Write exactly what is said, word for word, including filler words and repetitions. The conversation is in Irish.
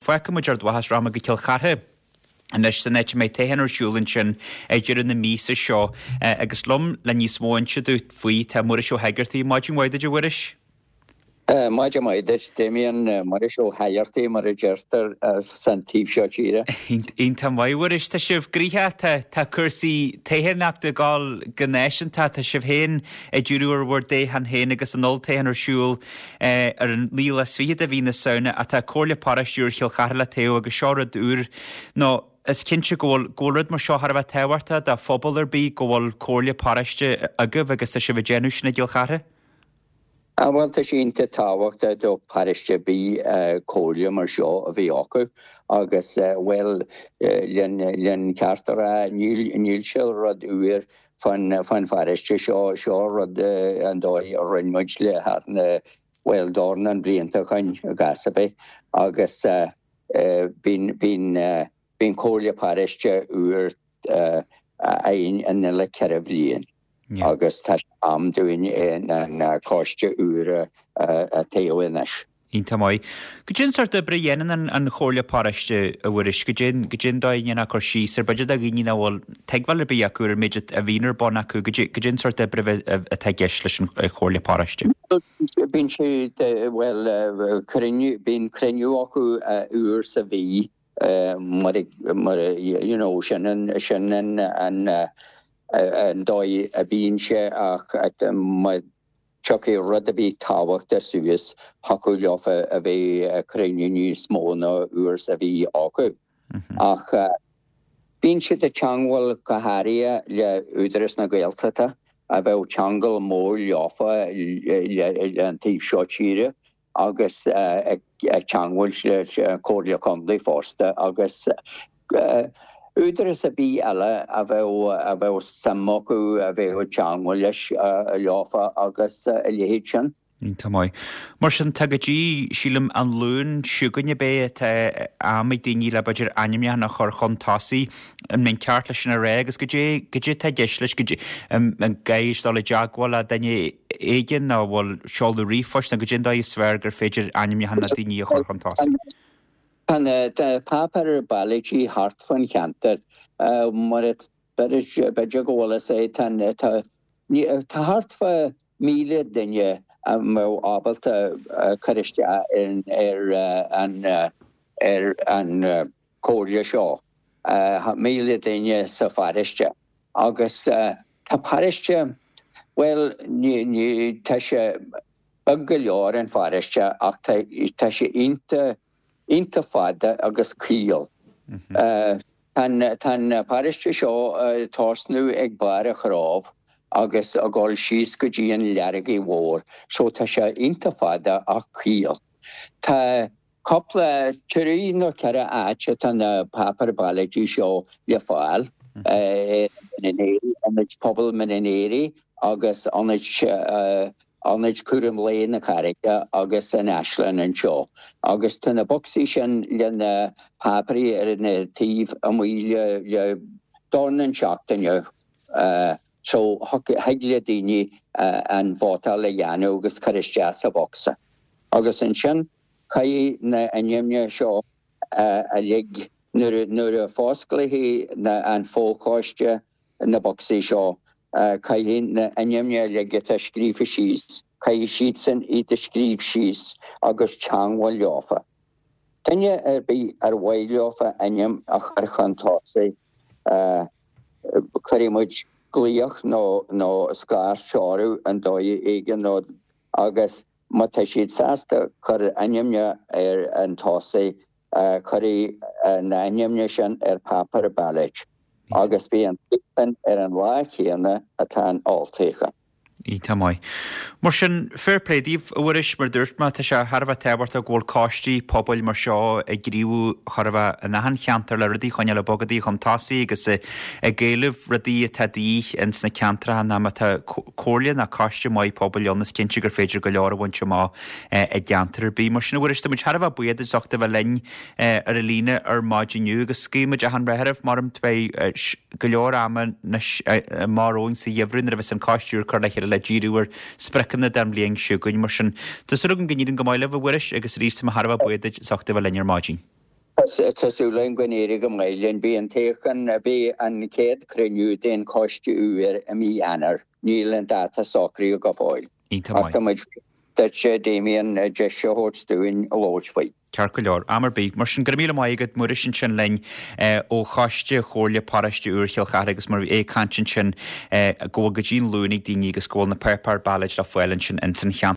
Fágfaidh muid Ard Mhacha is rachaidh muid go Cill Chartha anois san áit a mbeidh toghchán ar siúl ansin ag deireadh na míosa seo agus liom le níos mó a inse dúinn faoi tá Muiris Ó hEigeartaigh. Maidin mhaith duit a Mhuiris. Maidin mhaith duit, Damien. Muiris Ó hEigeartaigh mar a deirtear san taobh seo tíre. Iontach maith, a Mhuiris. Tá sibh gnoitheach, tá cúrsaí toghchánaíochta ag dul go náisiúnta, tá sibh féin ag díriú ar bhur dtoghchán féin agus an olltoghchán ar siúl ar an naoú lá is fiche de mhí na Samhna ach tá Comhairle Paróiste úr Chill Chartha le toghadh agus seo rud úr nó is cinnte go bhfuil go bhfuil rud mar seo thar a bheith tábhachtach do phobal ar bith go bhfuil Comhairle Paróiste agaibh agus tá sibh ag déanamh sin i gCill Chartha. Ah bhuel tá sé iontach tábhachtach do pharóiste ar bith comhairle mar seo a bheith acu agus bhuel len len ceart a rá níl níl sé rud úr fán fán pharóiste seo seo rud an dóigh a rinne muid le thar na bhuel dornán blianta ó shoin i gcás ar bith agus bíonn bíonn bíonn comhairle paróiste úr againn an uile ceithre bhliain agus tá sé am dúinn an coiste úr a toghadh anois. Iontach maith. Goidé an sórt oibre a dhéanann an Chomhairle Paróiste, a Mhuiris? Goidé goidé an dóigh a ndéanfá cur síos air, b'fhéidir do dhaoine nach bhfuil tuigbheáil ar bith acu ar an méid a bhíonn ar bun acu, goidé an sórt oibre atá i gceist leis an Chomhairle Paróiste? Bíonn sé, bhuel, cruinniú, bíonn cruinniú acu uair sa mhí mar, mar, you know, sin an, sin an, an, an dóigh a bhíonn sé ach má tiocfaidh rud ar bith tábhachtach suas, thiocfadh leofa a bheith cruinniú níos mó ná uair sa mhí acu. Ach bíonn siad ag teangmháil go háirithe le Údarás na Gaeltachta a bheadh ceangal mór leofa le an taobh seo tíre agus ag teangmháil le Comhairle Contae fosta agus údarás ar bith eile a bheadh a bheadh suim acu a bheadh ag teangmháil leis leofa agus a leithéid sin. Iontach maith. Mar sin, tá go dtí, sílim, an Luan seo chugainn ab é atá am ag daoine le b'fhéidir ainmneachan a chur chun tosaigh. An mbeinn ceart leis sin a rá agus goidé, goidé atá i gceist leis, goidé, an gcaithfidh dul i dteagmháil le duine éigin nó an bhfuil seoladh ríomhphoist nó goidé an dóigh is fearr gur féidir ainmneachan na daoine a chur chun tosaigh? Tá na páipéir ballóidí thart fán cheantar mar b'fhéidir go bhfuil fhios a'd tá tá thart fá míle duine a mbeadh ábalta cur isteach ar an ar an chomhairle seo, míle duine sa pharóiste agus tá paróiste, bhuel ní tá sé beag go leor an pharóiste ach tá tá sé iontach iontach fada agus caol. Tá an paróiste seo ag tosnú ag Barr a' Chrobh agus ag dul síos go dtí an Leargaidh Mhór, so tá sé iontach fada ach caol. Tá cúpla, trí nó ceithre áit atá na páipéir ballóidí seo le fáil, Ionad Pobail Mhin Éirigh agus Ionad Ionad Cúram Lae na Carraige agus an Áislann anseo. Agus tá na bocsaí sin le na páipéirí ar na taobh amuigh le le dornán seachtaine so thig le daoine an vótáil a dhéanamh agus cur isteach sa bhocsa. Agus ansin caithfidh na ainmneacha seo uilig nuair nuair a fosclaífidh na an fochoiste na bocsaí seo caithfidh na ainmneacha uilig atá scríofa síos, caithfidh siadsan iad a scríobh síos agus teangmháil leofa. Duine ar bith ar mhaith leofa ainm a chur chun tosaigh, cuirfidh muid glaoch nó nó scairt orthu an dóigh éigin nó agus má tá siad sásta cur ainmne ar an tosaigh, cuirfidh na ainmne sin ar páipéar ballóid agus beidh an toghchán ar an lá chéanna atá an olltoghchán. Iontach maith. Mar sin, fair play daoibh, a Mhuiris, mar dúirt mé, tá sé thar a bheith tábhachtach go bhfuil coistí pobail mar seo ag gníomhú chóir a bheith in achan cheantar le rudaí a choinneáil ag bogadh chun tosaigh agus ag éileamh rudaí atá de dhíth ins na ceantracha ná má tá comhairle ná coiste maith pobail ann is cinnte gur féidir go leor a bhaint amach i gceantar ar bith. Mar sin, a Mhuiris, tá muid thar a bheith buíoch duit as ucht a bheith linn ar an líne ar maidin inniu agus guíonn muid achan rath oraibh mar beidh go leor ama anois amach romhainn sa gheimhreadh nuair a bheas an coiste úr curtha le chéile le díriú ar spriocanna don bhliain seo chugainn. Mar sin, tá súil agam go n-éiríonn go maith libh, a Mhuiris, agus arís tá mé thar a bheith buíoch duit as ucht a bheith linn ar maidin. Tá súil againn go n-éireoidh go maith linn. Beidh an toghchán, beidh an chéad chruinniú den choiste úr i mí Eanáir. Níl an dáta socraithe go fóill. Iontach maith. Ach tá muid duit, Damien, deis a thabhairt dúinn labhairt faoi. Ceart go leor. Am ar bith. Mar sin, go raibh míle maith agat, Muiris, ansin linn ó Choiste Chomhairle Paróiste Iúr Chill Chartha agus mar bhí é ag caint ansin go bhfuil go dtí an Luan ag daoine agus go bhfuil na páipéir ballóide le fáil ansin ins an cheantar.